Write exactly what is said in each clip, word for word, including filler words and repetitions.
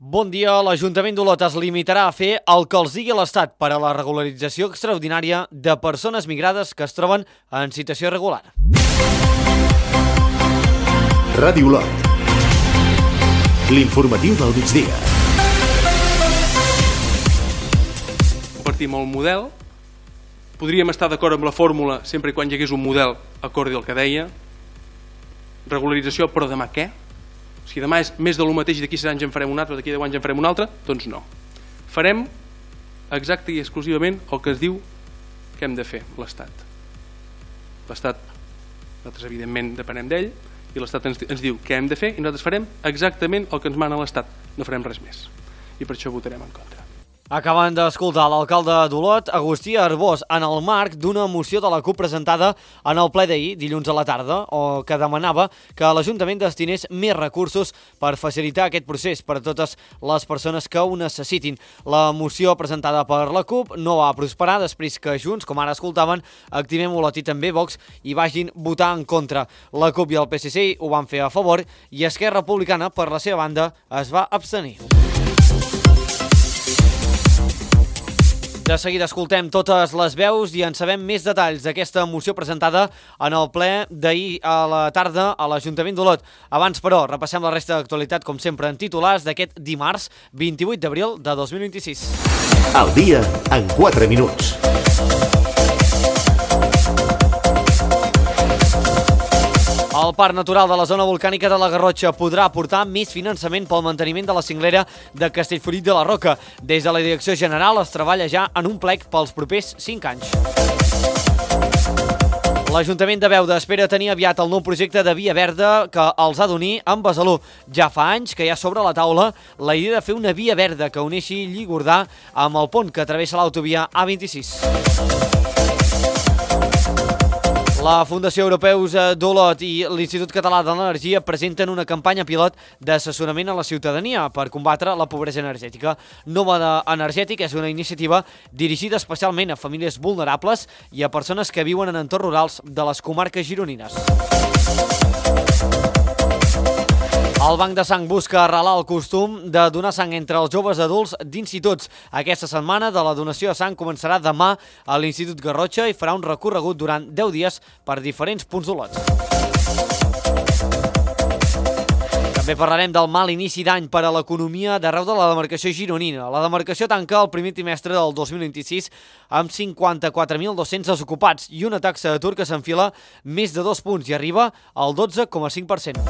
Bon dia. L'Ajuntament d'Olot es limitarà a fer el que els digui l'Estat per a la regularització extraordinària de persones migrades que es troben en situació irregular. Ràdio Olot. L'informatiu del migdia. Compartim el model. Podríem estar d'acord amb la fórmula sempre i quan hi hagués un model acordi al que deia. Regularització, però demà què? Si demà és més de lo mateix i d'aquí sis anys en farem un altre, d'aquí deu anys en farem un altre, doncs no. Farem exacte i exclusivament el que es diu que hem de fer l'Estat. L'Estat, nosaltres evidentment depenem d'ell, i l'Estat ens, ens diu què hem de fer i nosaltres farem exactament el que ens mana l'Estat. No farem res més. I per això votarem en contra. Acaben d'escoltar l'alcalde d'Olot, Agustí Arbós, en el marc d'una moció de la CUP presentada en el ple d'ahir, dilluns a la tarda, o que demanava que l'Ajuntament destinés més recursos per facilitar aquest procés per a totes les persones que ho necessitin. La moció presentada per la CUP no va prosperar després que Junts, com ara escoltaven, Activem Olot i també Vox hi vagin votar en contra. La CUP i el P S C ho van fer a favor i Esquerra Republicana, per la seva banda, es va abstenir. De seguida escoltem totes les veus i en sabem més detalls d'aquesta moció presentada en el ple d'ahir a la tarda a l'Ajuntament d'Olot. Abans, però, repassem la resta d'actualitat, com sempre, en titulars d'aquest dimarts vint-i-vuit d'abril de dos mil vint-i-sis. Al dia en quatre minuts. El Parc Natural de la Zona Volcànica de la Garrotxa podrà aportar més finançament pel manteniment de la cinglera de Castellfollit de la Roca. Des de la Direcció General es treballa ja en un plec pels propers cinc anys. L'Ajuntament de Beuda espera tenir aviat el nou projecte de via verda que els ha d'unir amb Besalú. Ja fa anys que hi ha sobre la taula la idea de fer una via verda que uneixi Lligordà amb el pont que travessa l'autovia A vint-i-sis. La Fundació Europeus d'Olot i l'Institut Català de l'Energia presenten una campanya pilot d'assessorament a la ciutadania per combatre la pobresa energètica. Nòmada Energètic és una iniciativa dirigida especialment a famílies vulnerables i a persones que viuen en entorns rurals de les comarques gironines. El Banc de Sang busca arrelar el costum de donar sang entre els joves adults d'instituts. Aquesta setmana de la donació de sang començarà demà a l'Institut Garrotxa i farà un recorregut durant deu dies per diferents punts d'Olot. També parlarem del mal inici d'any per a l'economia d'arreu de la demarcació gironina. La demarcació tanca el primer trimestre del dos mil vint-i-sis amb cinquanta-quatre mil dos-cents desocupats i una taxa d'atur que s'enfila més de dos punts i arriba al dotze coma cinc per cent.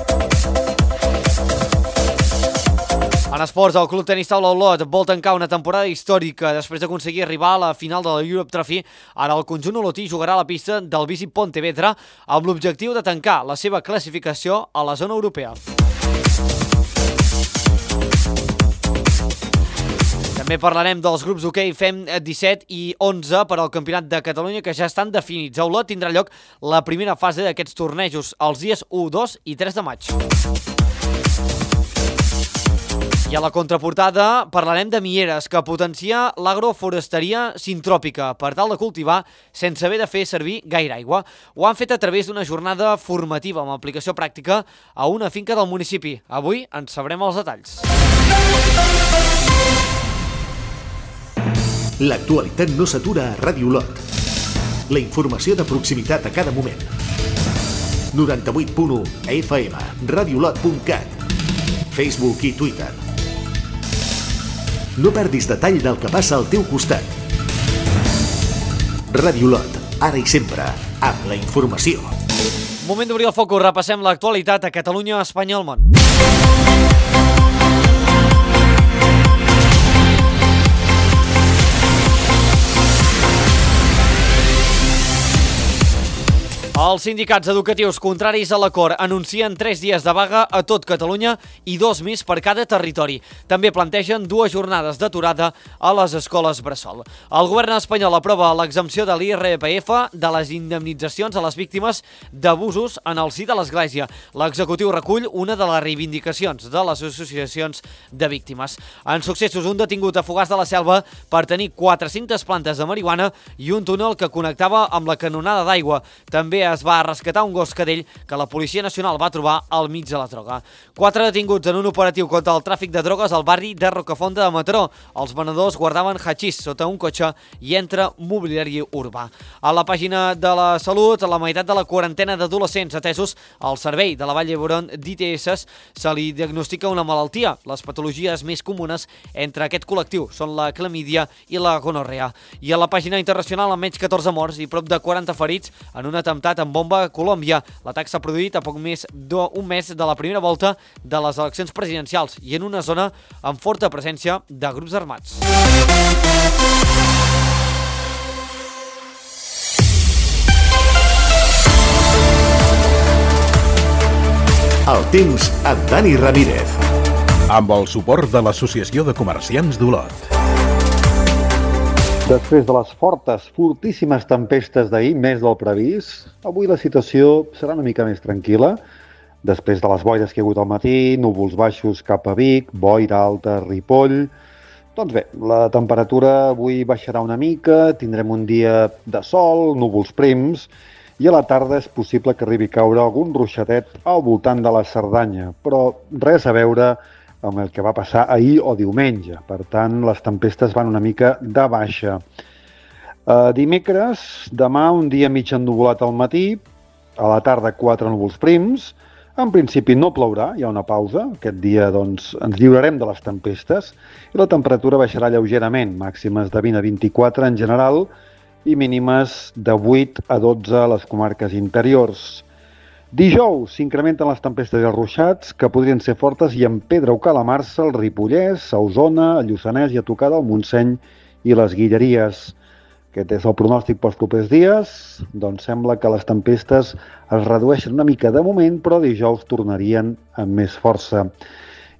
En esports, el Club Tenis Taula Olot vol tancar una temporada històrica després d'aconseguir arribar a la final de la Europe Trophy. Ara el conjunt olotí jugarà a la pista del Visip Pontevedra amb l'objectiu de tancar la seva classificació a la zona europea. També parlarem dels grups hoquei Fem disset i onze per al Campionat de Catalunya que ja estan definits. A Olot tindrà lloc la primera fase d'aquests tornejos els dies u, dos i tres de maig. I a la contraportada parlarem de Mieres, que potencia l'agroforesteria sintròpica per tal de cultivar sense haver de fer servir gaire aigua. Ho han fet a través d'una jornada formativa amb aplicació pràctica a una finca del municipi. Avui en sabrem els detalls. L'actualitat no s'atura a Ràdio Olot. La informació de proximitat a cada moment. noranta-vuit punt u F M, radiolot punt cat, Facebook i Twitter. No perdis detall del que passa al teu costat. Ràdio Olot, ara i sempre, amb la informació. Moment d'obrir el focus, repassem l'actualitat a Catalunya, Espanya i el món. Els sindicats educatius contraris a l'acord anuncien tres dies de vaga a tot Catalunya i dos més per cada territori. També plantegen dues jornades d'aturada a les escoles bressol. El govern espanyol aprova l'exempció de l'I R P F de les indemnitzacions a les víctimes d'abusos en el si de l'Església. L'executiu recull una de les reivindicacions de les associacions de víctimes. En successos, un detingut a Fogars de la Selva per tenir quatre-centes plantes de marihuana i un túnel que connectava amb la canonada d'aigua. També es es va rescatar un gos cadell que la Policia Nacional va trobar al mig de la droga. Quatre detinguts en un operatiu contra el tràfic de drogues al barri de Rocafonda de Mataró. Els venedors guardaven hachís sota un cotxe i entre mobiliari urbà. A la pàgina de la Salut, la meitat de la quarantena d'adolescents atesos al servei de la Vall d'Hebron d'I T S se li diagnostica una malaltia. Les patologies més comunes entre aquest col·lectiu són la clamídia i la gonorrea. I a la pàgina internacional, amb menys catorze morts i prop de quaranta ferits en un atemptat amb bomba a Colòmbia. L'atac s'ha produït a poc més d'un mes de la primera volta de les eleccions presidencials i en una zona amb forta presència de grups armats. El temps amb Dani Ramírez. Amb el suport de l'Associació de Comerciants d'Olot. Després de les fortes, fortíssimes tempestes d'ahir, més del previst, avui la situació serà una mica més tranquil·la. Després de les boires que hi ha hagut al matí, núvols baixos cap a Vic, boira alta a Ripoll. Doncs bé, la temperatura avui baixarà una mica, tindrem un dia de sol, núvols prims, i a la tarda és possible que arribi a caure algun ruixadet al voltant de la Cerdanya, però res a veure amb el que va passar ahir o diumenge. Per tant, les tempestes van una mica de baixa. Uh, dimecres, demà un dia mig ennuvolat al matí, a la tarda quatre núvols prims. En principi no plourà, hi ha una pausa. Aquest dia doncs, ens lliurarem de les tempestes i la temperatura baixarà lleugerament, màximes de vint a vint-i-quatre en general i mínimes de vuit a dotze a les comarques interiors. Dijous s'incrementen les tempestes i els ruixats, que podrien ser fortes i en Pedra o Calamarsa, el Ripollès, a Osona, a Lluçanès i a tocar del Montseny i les Guilleries. Aquest és el pronòstic pels propers dies. Doncs sembla que les tempestes es redueixen una mica de moment, però dijous tornarien amb més força.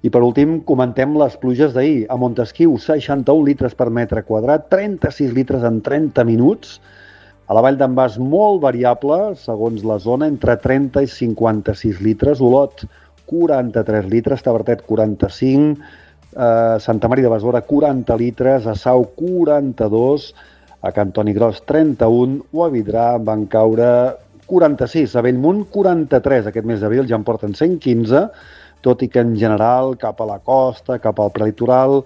I per últim, comentem les pluges d'ahir. A Montesquiu, seixanta-un litres per metre quadrat, trenta-sis litres en trenta minuts. A la Vall d'en Bas, molt variable, segons la zona, entre trenta i cinquanta-sis litres. Olot, quaranta-tres litres. Tavertet, quaranta-cinc. Eh, Santa Maria de Besora, quaranta litres. A Sau, quaranta-dos. A Cantoni Gros, trenta-un. O a Vidrà van caure quaranta-sis. A Bellmunt, quaranta-tres. Aquest mes d'abril ja en porten cent quinze. Tot i que en general cap a la costa, cap al prelitoral,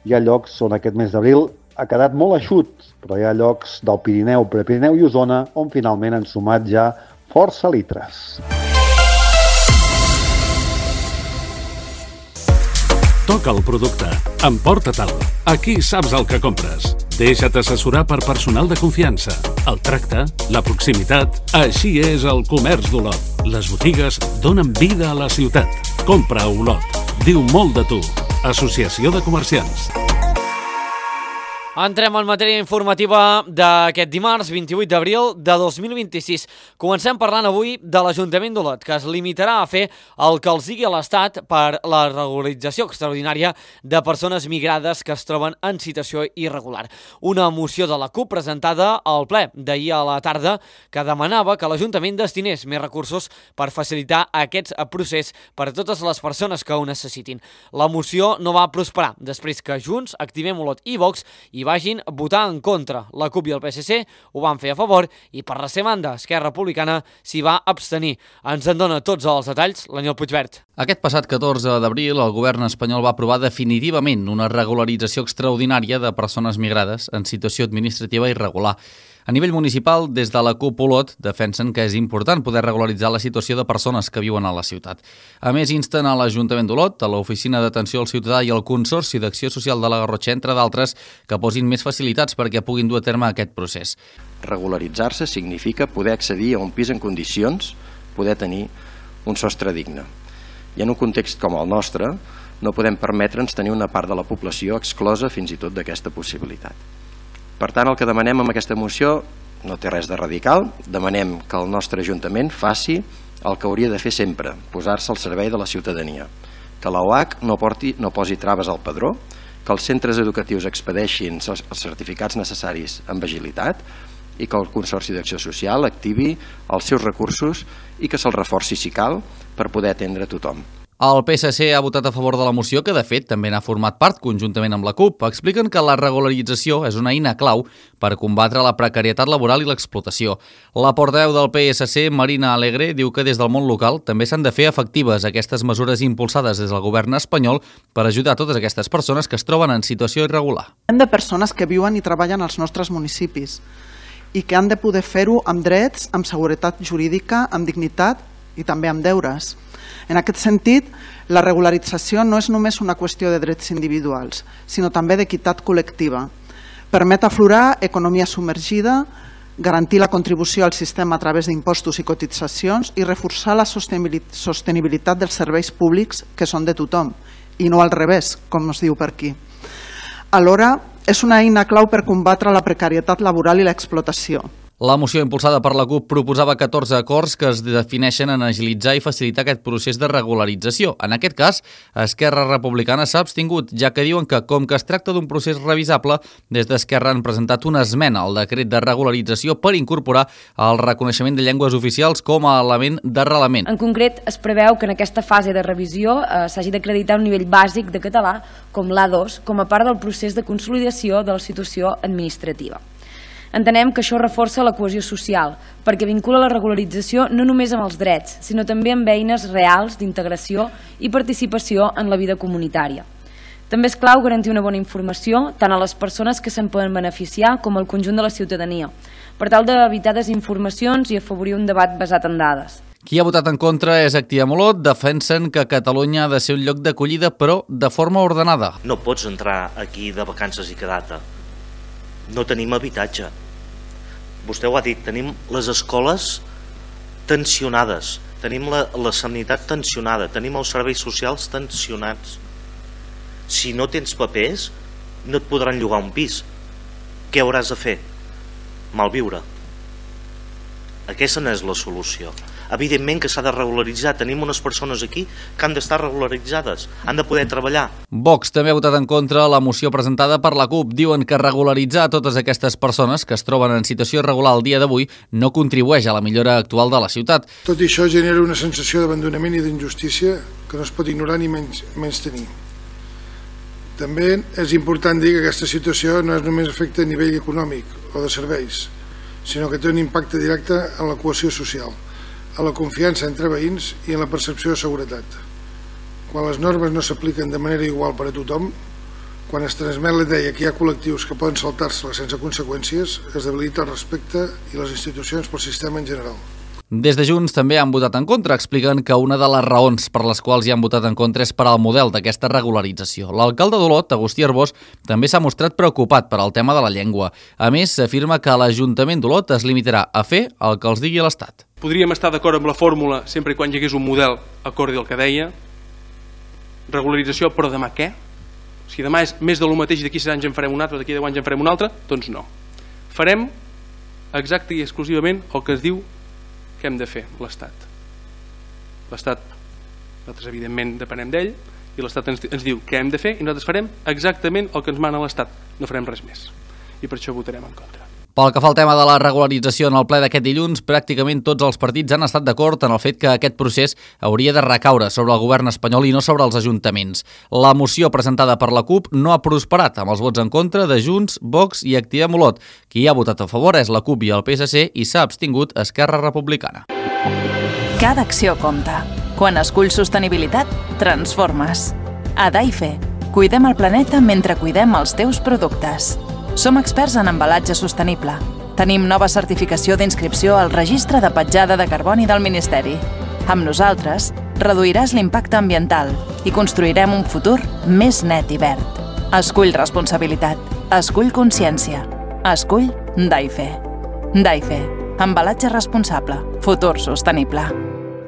hi ha llocs on aquest mes d'abril ha quedat molt eixut, però hi ha llocs del Pirineu, Prepirineu i Osona on finalment han sumat ja força litres. Toca el producte, emporta-te'l. Aquí saps el que compres. Deixa't assessorar per personal de confiança. El tracte, la proximitat, així és el comerç d'Olot. Les botigues donen vida a la ciutat. Compra a Olot. Diu molt de tu. Associació de Comerciants. Entrem en matèria informativa d'aquest dimarts, vint-i-vuit d'abril de dos mil vint-i-sis. Comencem parlant avui de l'Ajuntament d'Olot, que es limitarà a fer el que els digui l'Estat per la regularització extraordinària de persones migrades que es troben en situació irregular. Una moció de la CUP presentada al ple d'ahir a la tarda que demanava que l'Ajuntament destinés més recursos per facilitar aquest procés per a totes les persones que ho necessitin. La moció no va prosperar després que Junts, Activem Olot i Vox i vagin votar en contra. La CUP i el P S C ho van fer a favor i per la seva banda Esquerra Republicana s'hi va abstenir. Ens en dona tots els detalls l'Aniol Puigvert. Aquest passat catorze d'abril el govern espanyol va aprovar definitivament una regularització extraordinària de persones migrades en situació administrativa irregular. A nivell municipal, des de la CUP Olot defensen que és important poder regularitzar la situació de persones que viuen a la ciutat. A més, insten a l'Ajuntament d'Olot, a l'Oficina d'Atenció al Ciutadà i al Consorci d'Acció Social de la Garrotxa, entre d'altres, que posin més facilitats perquè puguin dur a terme aquest procés. Regularitzar-se significa poder accedir a un pis en condicions, poder tenir un sostre digne. I en un context com el nostre, no podem permetre'ns tenir una part de la població exclosa fins i tot d'aquesta possibilitat. Per tant, el que demanem amb aquesta moció no té res de radical. Demanem que el nostre Ajuntament faci el que hauria de fer sempre, posar-se al servei de la ciutadania. Que l'O H no, porti, no posi traves al padró, que els centres educatius expedeixin els certificats necessaris amb agilitat i que el Consorci d'Acció Social activi els seus recursos i que se'ls reforci si cal per poder atendre tothom. El P S C ha votat a favor de la moció, que de fet també n'ha format part conjuntament amb la CUP. Expliquen que la regularització és una eina clau per combatre la precarietat laboral i l'explotació. La portaveu del P S C, Marina Alegre, diu que des del món local també s'han de fer efectives aquestes mesures impulsades des del govern espanyol per ajudar a totes aquestes persones que es troben en situació irregular. Hem de persones que viuen i treballen als nostres municipis i que han de poder fer-ho amb drets, amb seguretat jurídica, amb dignitat i també amb deures. En aquest sentit, la regularització no és només una qüestió de drets individuals, sinó també d'equitat col·lectiva. Permet aflorar economia submergida, garantir la contribució al sistema a través d'impostos i cotitzacions i reforçar la sostenibilitat dels serveis públics que són de tothom, i no al revés, com es diu per aquí. Alhora, és una eina clau per combatre la precarietat laboral i l'explotació. La moció impulsada per la CUP proposava catorze acords que es defineixen en agilitzar i facilitar aquest procés de regularització. En aquest cas, Esquerra Republicana s'ha abstingut, ja que diuen que, com que es tracta d'un procés revisable, des d'Esquerra han presentat una esmena al decret de regularització per incorporar el reconeixement de llengües oficials com a element d'arrelament. En concret, es preveu que en aquesta fase de revisió eh, s'hagi d'acreditar un nivell bàsic de català, com l'A dos, com a part del procés de consolidació de la situació administrativa. Entenem que això reforça la cohesió social, perquè vincula la regularització no només amb els drets, sinó també amb eines reals d'integració i participació en la vida comunitària. També és clau garantir una bona informació tant a les persones que se'n poden beneficiar com al conjunt de la ciutadania, per tal d'evitar desinformacions i afavorir un debat basat en dades. Qui ha votat en contra és Activiam Olot. Defensen que Catalunya ha de ser un lloc d'acollida, però de forma ordenada. No pots entrar aquí de vacances i quedar-te. No tenim habitatge. Vostè ho ha dit, tenim les escoles tensionades, tenim la, la sanitat tensionada, tenim els serveis socials tensionats. Si no tens papers, no et podran llogar un pis. Què hauràs de fer? Malviure. Aquesta no és la solució. Evidentment que s'ha de regularitzar. Tenim unes persones aquí que han d'estar regularitzades, han de poder treballar. Vox també ha votat en contra la moció presentada per la CUP. Diuen que regularitzar totes aquestes persones que es troben en situació irregular al dia d'avui no contribueix a la millora actual de la ciutat. Tot i això genera una sensació d'abandonament i d'injustícia que no es pot ignorar ni menys, menys tenir. També és important dir que aquesta situació no és només efecte a nivell econòmic o de serveis, sinó que té un impacte directe en la cohesió social, a la confiança entre veïns i en la percepció de seguretat. Quan les normes no s'apliquen de manera igual per a tothom, quan es transmet la idea que hi ha col·lectius que poden saltar-se-la sense conseqüències, es debilita el respecte i les institucions pel sistema en general. Des de Junts també han votat en contra. Expliquen que una de les raons per les quals hi han votat en contra és per al model d'aquesta regularització. L'alcalde d'Olot, Agustí Arbós, també s'ha mostrat preocupat per al tema de la llengua. A més, s'afirma que l'Ajuntament d'Olot es limitarà a fer el que els digui l'Estat. Podríem estar d'acord amb la fórmula sempre i quan hi hagués un model acordi al que deia. Regularització, però demà què? Si demà és més de lo mateix i d'aquí sis anys en farem un altre, d'aquí deu anys en farem un altre, doncs no. Farem exacte i exclusivament el que es diu que hem de fer l'Estat. L'Estat, nosaltres evidentment depenem d'ell, i l'Estat ens, ens diu què hem de fer i nosaltres farem exactament el que ens mana l'Estat. No farem res més. I per això votarem en contra. Pel que fa al tema de la regularització en el ple d'aquest dilluns, pràcticament tots els partits han estat d'acord en el fet que aquest procés hauria de recaure sobre el govern espanyol i no sobre els ajuntaments. La moció presentada per la CUP no ha prosperat amb els vots en contra de Junts, Vox i Activiam Olot. Qui ha votat a favor és la CUP i el P S C i s'ha abstingut Esquerra Republicana. Cada acció compta. Quan esculls sostenibilitat, transformes. A Daife, cuidem el planeta mentre cuidem els teus productes. Som experts en embalatge sostenible. Tenim nova certificació d'inscripció al Registre de Petjada de Carboni del Ministeri. Amb nosaltres, reduiràs l'impacte ambiental i construirem un futur més net i verd. Escull responsabilitat. Escull consciència. Escull Daife. Daife. Embalatge responsable. Futur sostenible.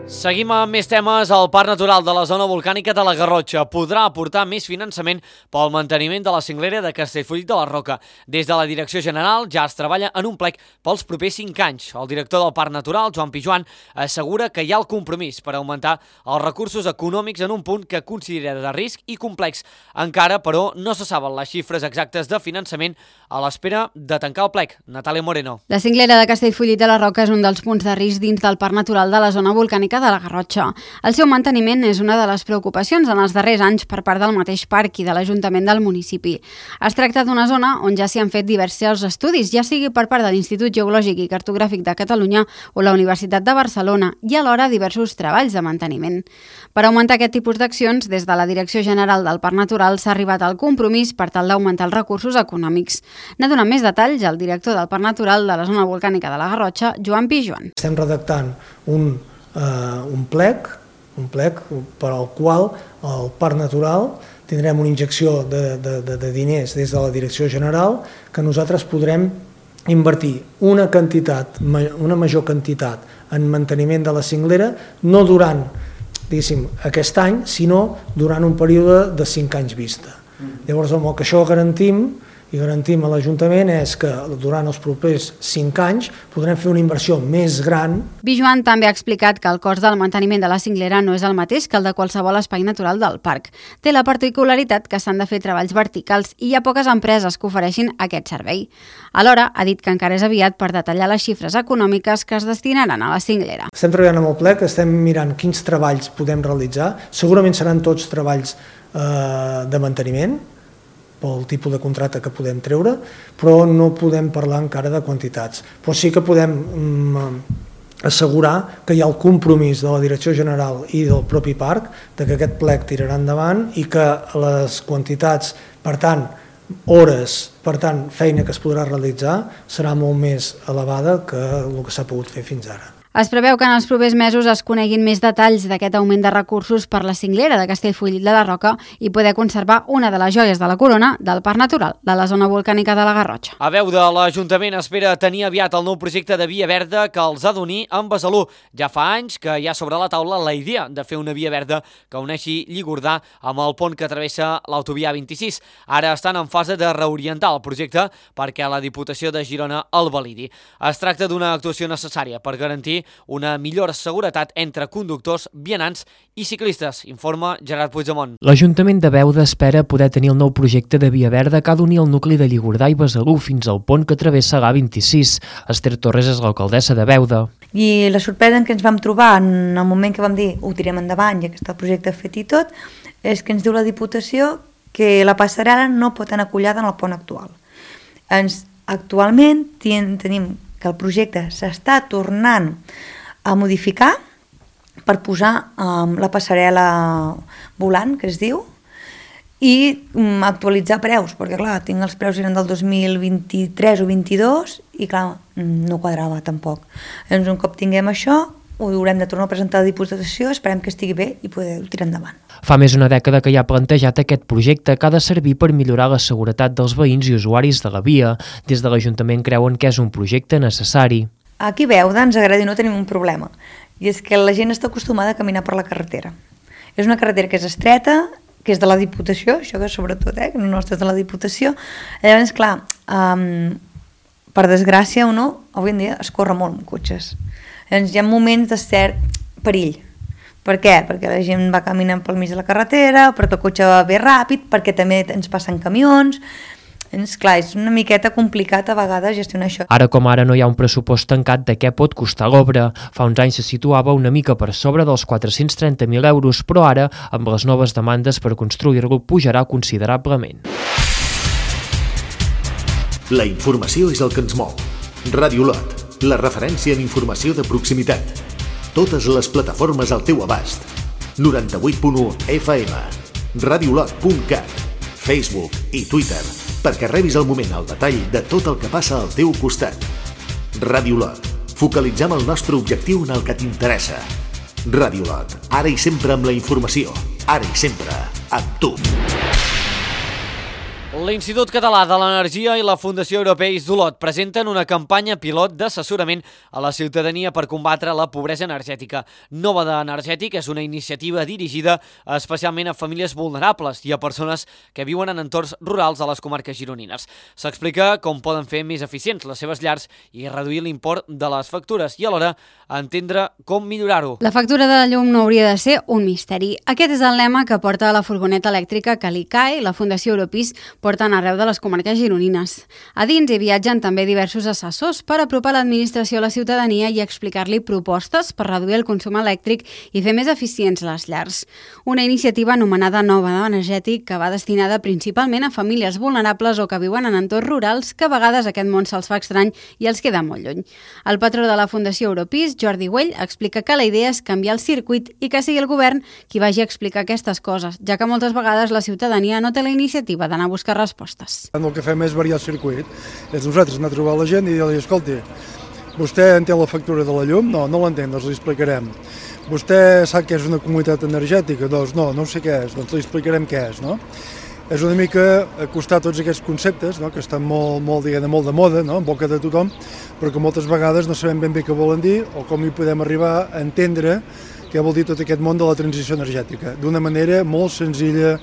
Seguim amb més temes. El Parc Natural de la Zona Volcànica de la Garrotxa podrà aportar més finançament pel manteniment de la cinglera de Castellfollit de la Roca. Des de la Direcció General ja es treballa en un plec pels propers cinc anys. El director del Parc Natural, Joan Pijuan, assegura que hi ha el compromís per augmentar els recursos econòmics en un punt que considera de risc i complex. Encara, però, no se saben les xifres exactes de finançament a l'espera de tancar el plec. Natàlia Moreno. La cinglera de Castellfollit de la Roca és un dels punts de risc dins del Parc Natural de la Zona Volcànica Volcànica de la Garrotxa. El seu manteniment és una de les preocupacions en els darrers anys per part del mateix parc i de l'Ajuntament del municipi. Es tracta d'una zona on ja s'hi han fet diversos estudis, ja sigui per part de l'Institut Geològic i Cartogràfic de Catalunya o la Universitat de Barcelona, i alhora diversos treballs de manteniment. Per augmentar aquest tipus d'accions, des de la Direcció General del Parc Natural s'ha arribat al compromís per tal d'augmentar els recursos econòmics. N'ha donat més detalls el director del Parc Natural de la zona volcànica de la Garrotxa, Joan Pijuan. Estem redactant un, uh, un plec, un plec per al qual el Parc Natural tindrem una injecció de, de, de, de diners des de la Direcció General que nosaltres podrem invertir una quantitat, una major quantitat en manteniment de la cinglera, no durant diguéssim, aquest any, sinó durant un període de cinc anys vista. Llavors, el que això garantim i garantim a l'Ajuntament és que durant els propers cinc anys podrem fer una inversió més gran. Pijuan també ha explicat que el cost del manteniment de la cinglera no és el mateix que el de qualsevol espai natural del parc. Té la particularitat que s'han de fer treballs verticals i hi ha poques empreses que ofereixin aquest servei. Alhora, ha dit que encara és aviat per detallar les xifres econòmiques que es destinaran a la cinglera. Estem treballant amb el plec, estem mirant quins treballs podem realitzar. Segurament seran tots treballs eh, de manteniment, pel tipus de contracte que podem treure, però no podem parlar encara de quantitats. Però sí que podem mm, assegurar que hi ha el compromís de la Direcció General i del propi parc de que aquest plec tirarà endavant i que les quantitats, per tant, hores, per tant, feina que es podrà realitzar, serà molt més elevada que el que s'ha pogut fer fins ara. Es preveu que en els propers mesos es coneguin més detalls d'aquest augment de recursos per la cinglera de Castellfollit de la Roca i poder conservar una de les joies de la corona del Parc Natural de la zona volcànica de la Garrotxa. A veu de l'Ajuntament espera tenir aviat el nou projecte de via verda que els ha d'unir amb Besalú. Ja fa anys que hi ha sobre la taula la idea de fer una via verda que uneixi Lligordà amb el pont que travessa l'autovia vint-i-sis. Ara estan en fase de reorientar el projecte perquè la Diputació de Girona el validi. Es tracta d'una actuació necessària per garantir una millor seguretat entre conductors, vianants i ciclistes, informa Gerard Puigdemont. L'Ajuntament de Beuda espera poder tenir el nou projecte de via verda que ha d'unir el nucli de Lligordà i Besalú fins al pont que travessa l'A vint-i-sis. Esther Torres és l'alcaldessa de Beuda. I la sorpresa en què ens vam trobar en el moment que vam dir ho tirem endavant i aquest projecte fet i tot, és que ens diu la Diputació que la passarel·la no pot anar acollada en el pont actual. Ens, actualment tenim que el projecte s'està tornant a modificar per posar um, la passarel·la volant, que es diu, i um, actualitzar preus, perquè clar, tinc els preus eren del dos mil vint-i-tres o vint-i-dos i clar, no quadrava tampoc. Doncs un cop tinguem això, ho haurem de tornar a presentar a la Diputació, esperem que estigui bé i poder-ho tirar endavant. Fa més d'una dècada que hi ha plantejat aquest projecte que ha de servir per millorar la seguretat dels veïns i usuaris de la via. Des de l'Ajuntament creuen que és un projecte necessari. Aquí a Beuda ens agrada i no tenim un problema, i és que la gent està acostumada a caminar per la carretera. És una carretera que és estreta, que és de la Diputació, això que sobretot, eh, que no és de la Diputació. Llavors, clar, um, per desgràcia o no, avui en dia es corre molt amb cotxes. Llavors hi ha moments de cert perill. Per què? Perquè la gent va caminant pel mig de la carretera, perquè el cotxe va bé ràpid, perquè també ens passen camions. És clar, és una miqueta complicat a vegades gestionar això. Ara com ara no hi ha un pressupost tancat de què pot costar l'obra. Fa uns anys se situava una mica per sobre dels quatre-cents trenta mil euros, però ara, amb les noves demandes per construir-lo, pujarà considerablement. La informació és el que ens mou. Ràdio Lot, la referència en informació de proximitat. Totes les plataformes al teu abast. noranta-vuit punt u F M, radiolot punt cat, Facebook i Twitter, perquè rebis al moment el detall de tot el que passa al teu costat. Ràdio Lot, focalitzem el nostre objectiu en el que t'interessa. Ràdio Lot, ara i sempre amb la informació, ara i sempre amb tu. L'Institut Català de l'Energia i la Fundació Europeis d'Olot presenten una campanya pilot d'assessorament a la ciutadania per combatre la pobresa energètica. Nòmada Energètic és una iniciativa dirigida especialment a famílies vulnerables i a persones que viuen en entorns rurals a les comarques gironines. S'explica com poden fer més eficients les seves llars i reduir l'import de les factures i alhora entendre com millorar-ho. La factura de la llum no hauria de ser un misteri. Aquest és el lema que porta la furgoneta elèctrica que l'I C A E, la Fundació Europeis, porten arreu de les comarques gironines. A dins hi viatgen també diversos assessors per apropar l'administració a la ciutadania i explicar-li propostes per reduir el consum elèctric i fer més eficients les llars. Una iniciativa anomenada Nova Energètic que va destinada principalment a famílies vulnerables o que viuen en entorns rurals que a vegades aquest món se'ls fa estrany i els queda molt lluny. El patró de la Fundació Europis, Jordi Güell, explica que la idea és canviar el circuit i que sigui el govern qui vagi a explicar aquestes coses, ja que moltes vegades la ciutadania no té la iniciativa d'anar a buscar respostes. El que fem és variar el circuit. És nosaltres anar a trobar la gent i dir-li, escolti, vostè entén la factura de la llum? No, no l'entén, doncs li explicarem. Vostè sap què és una comunitat energètica? Doncs no, no sé què és, doncs li explicarem què és, no? És una mica acostar tots aquests conceptes, no? Que estan molt, molt, diguem, molt de moda, no? En boca de tothom, però que moltes vegades no sabem ben bé què volen dir o com hi podem arribar a entendre què vol dir tot aquest món de la transició energètica, d'una manera molt senzilla,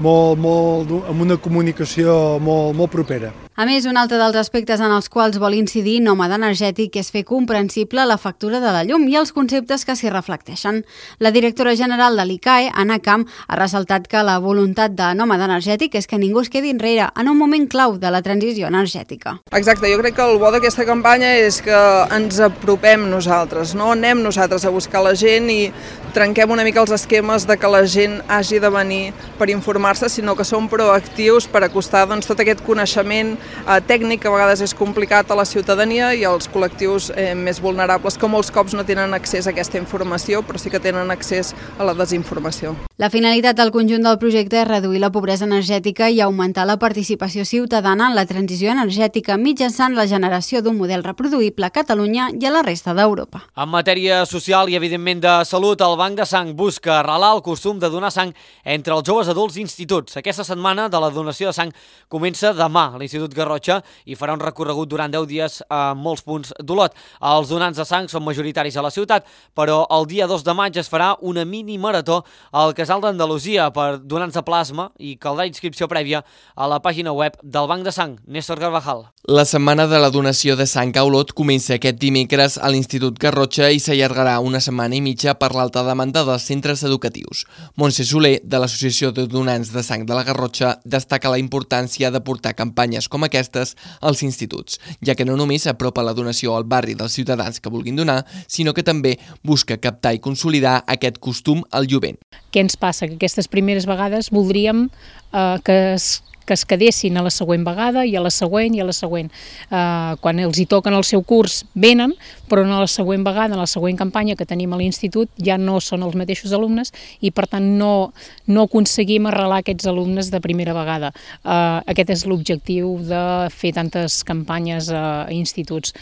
molt, molt, amb una comunicació molt, molt propera. A més, un altre dels aspectes en els quals vol incidir Nòmada Energètic és fer comprensible la factura de la llum i els conceptes que s'hi reflecteixen. La directora general de l'I C A E, Anna Camp, ha ressaltat que la voluntat de Nòmada Energètic és que ningú es quedi enrere en un moment clau de la transició energètica. Exacte, jo crec que el bo d'aquesta campanya és que ens apropem nosaltres, no anem nosaltres a buscar la gent i trenquem una mica els esquemes de que la gent hagi de venir per informar-se, sinó que som proactius per acostar doncs, tot aquest coneixement eh, tècnic que a vegades és complicat a la ciutadania i als col·lectius eh, més vulnerables que molts cops no tenen accés a aquesta informació, però sí que tenen accés a la desinformació. La finalitat del conjunt del projecte és reduir la pobresa energètica i augmentar la participació ciutadana en la transició energètica mitjançant la generació d'un model reproduïble a Catalunya i a la resta d'Europa. En matèria social i, evidentment, de salut, el Banc de Sang busca arrelar el costum de donar sang entre els joves adults i instituts. Aquesta setmana de la donació de sang comença demà a l'Institut Garrotxa i farà un recorregut durant deu dies a molts punts d'Olot. Els donants de sang són majoritaris a la ciutat, però el dia dos de maig es farà una mini marató al Casal d'Andalusia per donants de plasma i caldrà inscripció prèvia a la pàgina web del Banc de Sang. Néstor Carvajal. La setmana de la donació de sang a Olot comença aquest dimecres a l'Institut Garrotxa i s'allargarà una setmana i mitja per l'alta demanda dels centres educatius. Montse Soler, de l'Associació de Donants de Sang de la Garrotxa, destaca la importància de portar campanyes com aquestes als instituts, ja que no només apropa la donació al barri dels ciutadans que vulguin donar, sinó que també busca captar i consolidar aquest costum al jovent. Què ens passa? Que aquestes primeres vegades voldríem eh, que es que es quedessin a la següent vegada i a la següent i a la següent. Uh, quan els hi toquen el seu curs venen, però no a la següent vegada, en la següent campanya que tenim a l'institut ja no són els mateixos alumnes i per tant no, no aconseguim arrelar aquests alumnes de primera vegada. Uh, aquest és l'objectiu de fer tantes campanyes a instituts.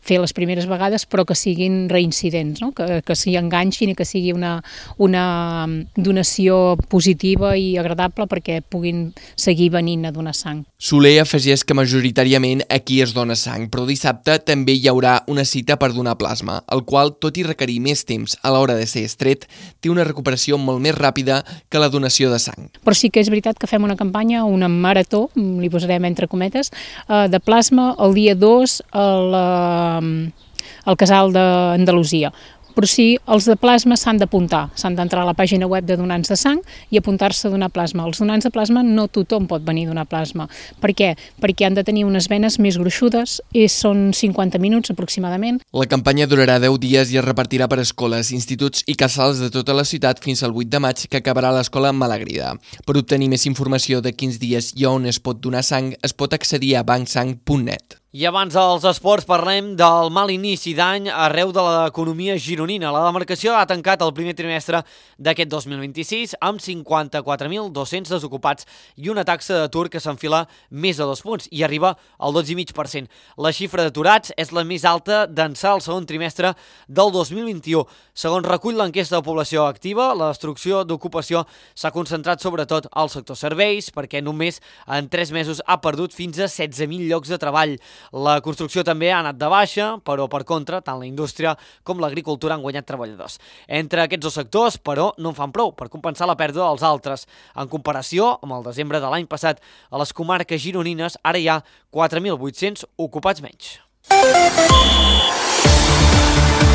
Fer les primeres vegades però que siguin reincidents, no? que, que s'hi enganxin i que sigui una, una donació positiva i agradable perquè puguin seguir venint a donar sang. Soler afegeix que majoritàriament aquí es dona sang, però dissabte també hi haurà una cita per donar plasma, el qual, tot i requerir més temps a l'hora de ser estret, té una recuperació molt més ràpida que la donació de sang. Però sí que és veritat que fem una campanya, una marató, li posarem entre cometes, de plasma el dia dos a la al Casal d'Andalusia. Però sí, els de plasma s'han d'apuntar, s'han d'entrar a la pàgina web de donants de sang i apuntar-se a donar plasma. Els donants de plasma no tothom pot venir a donar plasma. Per què? Perquè han de tenir unes venes més gruixudes i són cinquanta minuts aproximadament. La campanya durarà deu dies i es repartirà per escoles, instituts i casals de tota la ciutat fins al vuit de maig, que acabarà a l'escola Malagrida. Per obtenir més informació de quins dies i on es pot donar sang, es pot accedir a bancsang punt net. I abans dels esports parlem del mal inici d'any arreu de l'economia gironina. La demarcació ha tancat el primer trimestre d'aquest dos mil vint-i-sis amb cinquanta-quatre mil dos-cents desocupats i una taxa d'atur que s'enfila més de dos punts i arriba al dotze coma cinc per cent. La xifra d'aturats és la més alta d'ençà el segon trimestre del dos mil vint-i-u. Segons recull l'enquesta de població activa, la destrucció d'ocupació s'ha concentrat sobretot al sector serveis, perquè només en tres mesos ha perdut fins a setze mil llocs de treball. La construcció també ha anat de baixa, però per contra, tant la indústria com l'agricultura han guanyat treballadors. Entre aquests dos sectors, però, no en fan prou per compensar la pèrdua dels altres. En comparació amb el desembre de l'any passat, a les comarques gironines ara hi ha quatre mil vuit-cents ocupats menys.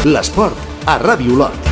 L'esport a Ràdio Olot.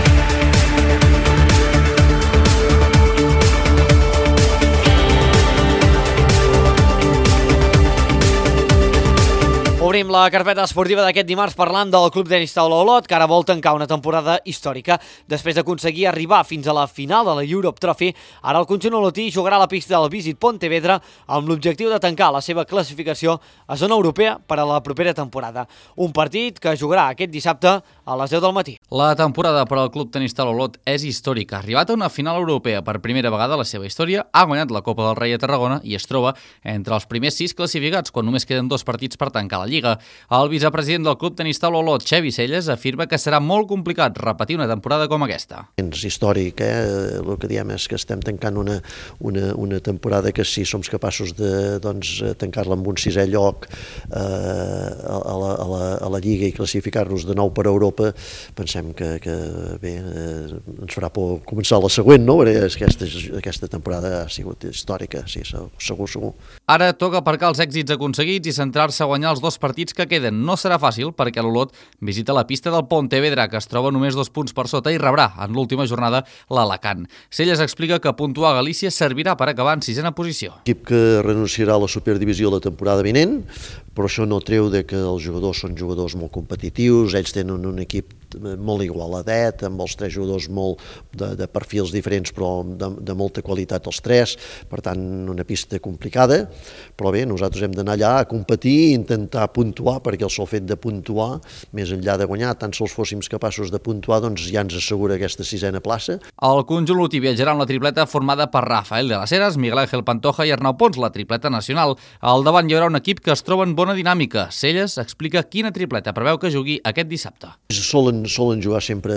Obrim la carpeta esportiva d'aquest dimarts parlant del Club Tenis Taula Olot, que ara vol tancar una temporada històrica. Després d'aconseguir arribar fins a la final de la Europe Trophy, ara el conjunt olotí jugarà a la pista del Visit Pontevedra amb l'objectiu de tancar la seva classificació a zona europea per a la propera temporada. Un partit que jugarà aquest dissabte a les deu del matí. La temporada per al Club Tenis Taula Olot és històrica. Arribat a una final europea per primera vegada a la seva història, ha guanyat la Copa del Rei a Tarragona i es troba entre els primers sis classificats quan només queden dos partits per tancar la Lliga. El vicepresident del Club Tenis Taula Olot, Xevi Celles, afirma que serà molt complicat repetir una temporada com aquesta. És històric, eh? El que diem és que estem tancant una, una, una temporada que si som capaços de doncs, tancar-la amb un sisè lloc eh, a, la, a, la, a la Lliga i classificar-nos de nou per a Europa, pensem que, que bé, eh, ens farà por començar la següent, no? Aquesta, aquesta temporada ha sigut històrica, sí, segur, segur. Ara toca aparcar els èxits aconseguits i centrar-se a guanyar els dos partits que queden. No serà fàcil perquè l'Olot visita la pista del Pontevedra, que es troba només dos punts per sota, i rebrà en l'última jornada l'Alacant. Celles explica que puntuar a Galícia servirà per acabar en sisena posició. Equip que renunciarà a la Superdivisió la temporada vinent, però això no treu de que els jugadors són jugadors molt competitius, ells tenen un equip molt igualadet, amb els tres jugadors molt de, de perfils diferents però de, de molta qualitat els tres, per tant una pista complicada, però bé, nosaltres hem d'anar allà a competir i intentar puntuar, perquè el sol fet de puntuar, més enllà de guanyar, tant sols fóssim capaços de puntuar, doncs ja ens assegura aquesta sisena plaça. El conjunt olotí viatjarà amb la tripleta formada per Rafael de las Heras, Miguel Ángel Pantoja i Arnau Pons, la tripleta nacional. Al davant hi haurà un equip que es troba en bona dinàmica. Celles explica quina tripleta preveu que jugui aquest dissabte. Solen, solen jugar sempre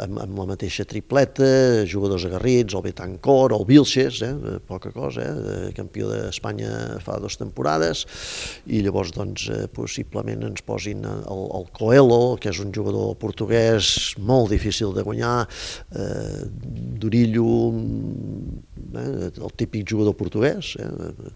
amb, amb la mateixa tripleta, jugadors agarrits, el Betancor, el Vilches, eh, poca cosa, eh, campió d'Espanya fa dues temporades, i llavors doncs, eh, possiblement ens posin el, el Coelho, que és un jugador portuguès molt difícil de guanyar, eh, Durillo, eh, el típic jugador portuguès, eh,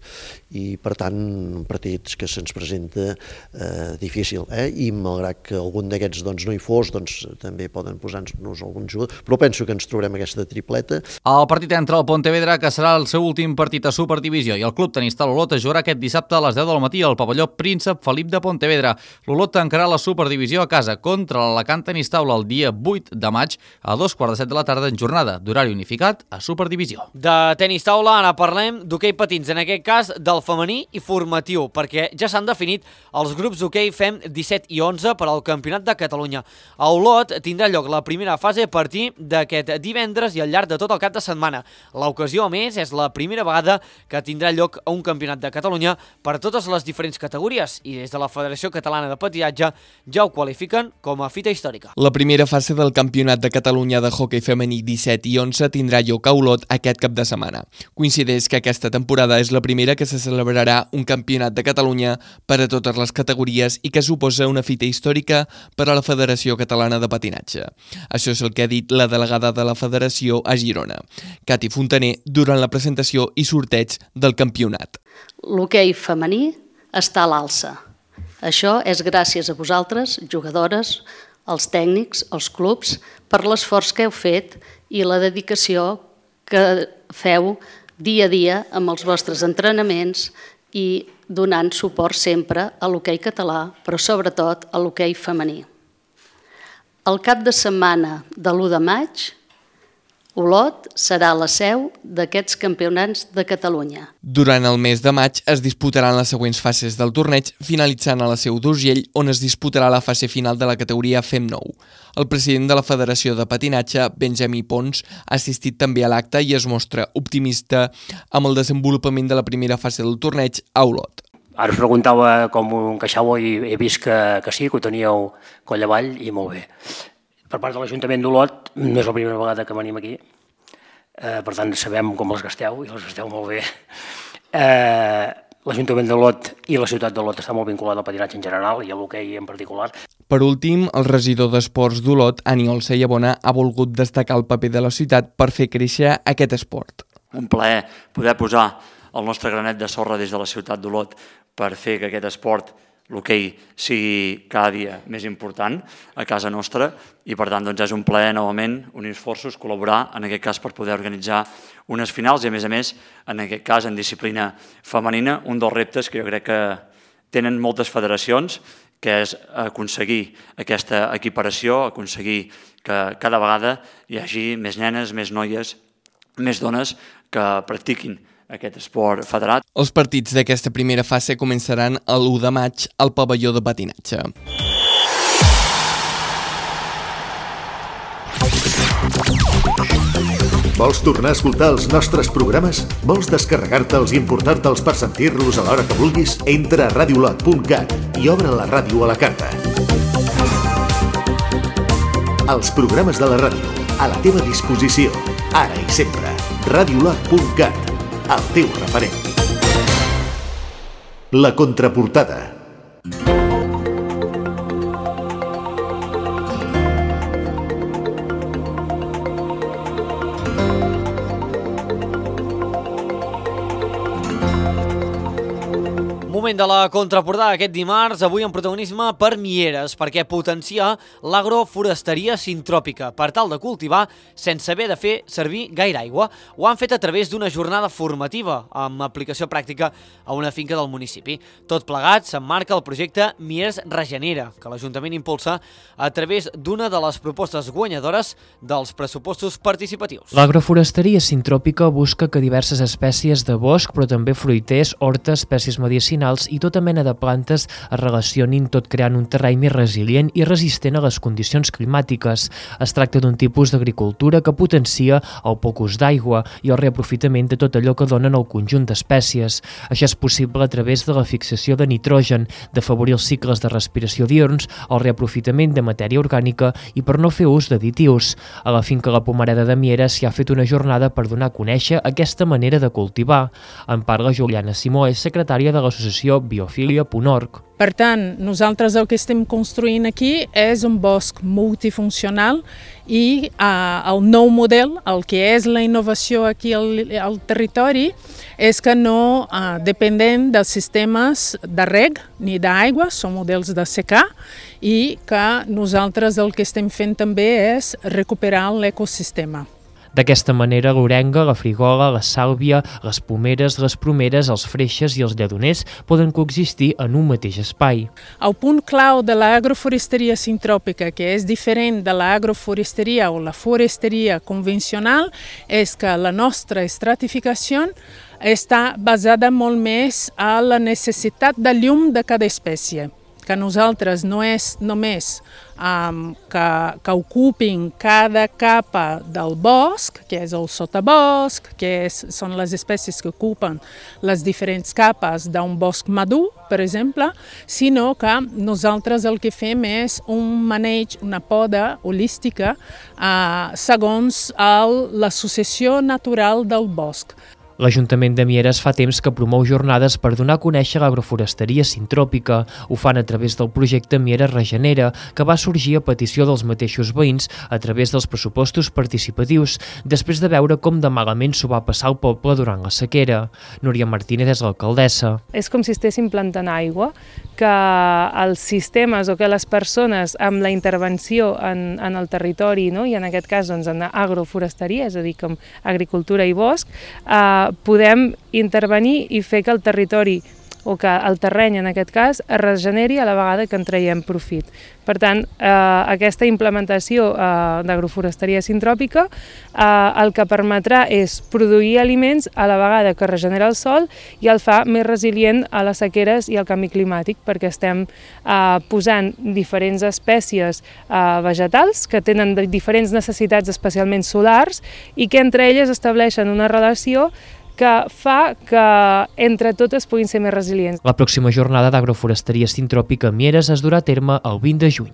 i per tant partits que se'ns presenta eh, difícil, eh, i malgrat que algun d'aquests doncs, no hi fos, doncs també poden posar-nos algun jugador, però penso que ens trobarem aquesta tripleta. El partit entre el Pontevedra, que serà el seu últim partit a Superdivisió, i el Club Tenis Taula Olot es jugarà aquest dissabte a les deu del matí al pavelló Príncep Felip de Pontevedra. L'Olot tancarà la Superdivisió a casa contra l'Alacant Tenis Taula el dia vuit de maig a dos quarts de set de la tarda en jornada d'horari unificat a Superdivisió. De tenis taula ara parlem d'hoquei patins, en aquest cas del femení i formatiu, perquè ja s'han definit els grups d'hoquei Fem disset i onze per al Campionat de Catalunya. A Olot tindrà lloc la primera fase a partir d'aquest divendres i al llarg de tot el cap de setmana. L'ocasió, a més, és la primera vegada que tindrà lloc un Campionat de Catalunya per a totes les diferents categories, i des de la Federació Catalana de Patinatge ja ho qualifiquen com a fita històrica. La primera fase del Campionat de Catalunya de hoquei femení disset i onze tindrà lloc a Olot aquest cap de setmana. Coincideix que aquesta temporada és la primera que se celebrarà un Campionat de Catalunya per a totes les categories i que suposa una fita històrica per a la Federació Catalana de Patinatge. Això és el que ha dit la delegada de la Federació a Girona, Cati Fontaner, durant la presentació i sorteig del campionat. L'hoquei femení està a l'alça. Això és gràcies a vosaltres, jugadores, els tècnics, els clubs, per l'esforç que heu fet i la dedicació que feu dia a dia amb els vostres entrenaments i donant suport sempre a l'hoquei català, però sobretot a l'hoquei femení. El cap de setmana de l'u de maig, Olot serà la seu d'aquests campionats de Catalunya. Durant el mes de maig es disputaran les següents fases del torneig, finalitzant a la seu d'Urgell, on es disputarà la fase final de la categoria Fem nou. El president de la Federació de Patinatge, Benjamí Pons, ha assistit també a l'acte i es mostra optimista amb el desenvolupament de la primera fase del torneig a Olot. Ara us preguntava com ho encaixàveu i he vist que, que sí, que ho teníeu coll avall i molt bé. Per part de l'Ajuntament d'Olot, no és la primera vegada que venim aquí, eh, per tant sabem com les gasteu i les gasteu molt bé. Eh, L'Ajuntament d'Olot i la ciutat d'Olot està molt vinculat al patinatge en general i a l'hoquei en particular. Per últim, el regidor d'Esports d'Olot, Aniol Sayabona, ha volgut destacar el paper de la ciutat per fer créixer aquest esport. Un plaer poder posar el nostre granet de sorra des de la ciutat d'Olot per fer que aquest esport, l'hoquei, sigui cada dia més important a casa nostra i per tant doncs, és un plaer novament unir esforços, col·laborar en aquest cas per poder organitzar unes finals i a més a més en aquest cas en disciplina femenina, un dels reptes que jo crec que tenen moltes federacions, que és aconseguir aquesta equiparació, aconseguir que cada vegada hi hagi més nenes, més noies, més dones que practiquin aquest esport federat. Els partits d'aquesta primera fase començaran l'u de maig al pavelló de patinatge. Vols tornar a escoltar els nostres programes? Vols descarregar-te'ls i importar-te'ls per sentir-los a l'hora que vulguis? Entra a radiolot punt cat i obre la ràdio a la carta. Els programes de la ràdio, a la teva disposició, ara i sempre. radiolot punt cat, el teu referent. La contraportada. Moment de la contraportada aquest dimarts, avui en protagonisme per Mieres, perquè potencia l'agroforesteria sintròpica per tal de cultivar sense haver de fer servir gaire aigua. Ho han fet a través d'una jornada formativa amb aplicació pràctica a una finca del municipi. Tot plegat s'emmarca el projecte Mieres Regenera, que l'Ajuntament impulsa a través d'una de les propostes guanyadores dels pressupostos participatius. L'agroforesteria sintròpica busca que diverses espècies de bosc, però també fruiters, hortes, espècies medicinals i tota mena de plantes es relacionin, tot creant un terreny més resilient i resistent a les condicions climàtiques. Es tracta d'un tipus d'agricultura que potencia el poc ús d'aigua i el reaprofitament de tot allò que donen el conjunt d'espècies. Això és possible a través de la fixació de nitrogen, d'afavorir els cicles de respiració diürns, el reaprofitament de matèria orgànica i per no fer ús d'additius. A la finca La Pomareda de Mieres s'hi ha fet una jornada per donar a conèixer aquesta manera de cultivar. En parla Juliana Simó, és secretària de l'associació biofilia punt org. Per tant, nosaltres el que estem construint aquí és un bosc multifuncional i eh, el nou model, el que és la innovació aquí al, al territori, és que no eh, dependem dels sistemes de reg ni d'aigua, són models de secà, i que nosaltres el que estem fent també és recuperar l'ecosistema. D'aquesta manera, l'orenga, la frigola, la sàlvia, les pomeres, les promeres, els freixes i els lledoners poden coexistir en un mateix espai. El punt clau de l'agroforesteria sintròpica, que és diferent de l'agroforesteria o la foresteria convencional, és que la nostra estratificació està basada molt més a la necessitat de llum de cada espècie, que nosaltres no és només um, que, que ocupin cada capa del bosc, que és el sotabosc, que és, són les espècies que ocupen les diferents capes d'un bosc madur, per exemple, sinó que nosaltres el que fem és un maneig, una poda holística uh, segons l'associació natural del bosc. L'Ajuntament de Mieres fa temps que promou jornades per donar a conèixer l'agroforesteria sintròpica. Ho fan a través del projecte Mieres Regenera, que va sorgir a petició dels mateixos veïns a través dels pressupostos participatius, després de veure com de malament s'ho va passar al poble durant la sequera. Núria Martínez és l'alcaldessa. És com si estéssim plantant aigua, que els sistemes o que les persones amb la intervenció en, en el territori, no? I en aquest cas doncs, en agroforesteria, és a dir, com agricultura i bosc, eh, podem intervenir i fer que el territori o que el terreny, en aquest cas, es regeneri a la vegada que en traiem profit. Per tant, eh, aquesta implementació eh, d'agroforesteria sintròpica eh, el que permetrà és produir aliments a la vegada que regenera el sòl i el fa més resilient a les sequeres i al canvi climàtic, perquè estem eh, posant diferents espècies eh, vegetals que tenen diferents necessitats, especialment solars, i que entre elles estableixen una relació que fa que entre totes puguin ser més resilients. La pròxima jornada d'agroforesteria sintròpica a Mieres es durà a terme el vint de juny.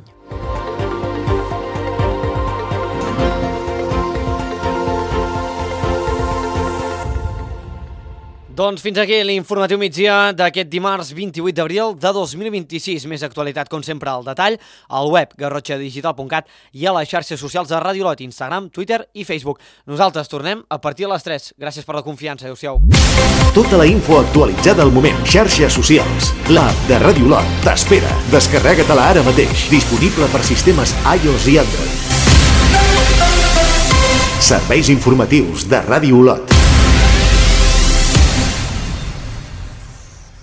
Doncs fins aquí l'informatiu migdia d'aquest dimarts vint-i-vuit d'abril de dos mil vint-i-sis. Més actualitat, com sempre, al detall, al web garrotxa digital punt cat i a les xarxes socials de Ràdio Lot, Instagram, Twitter i Facebook. Nosaltres tornem a partir de les tres. Gràcies per la confiança. Adéu-siau. Tota la info actualitzada al moment. Xarxes socials. L'app de Ràdio Lot t'espera. Descarrega-te-la ara mateix. Disponible per sistemes iOS i Android. Serveis informatius de Ràdio Lot.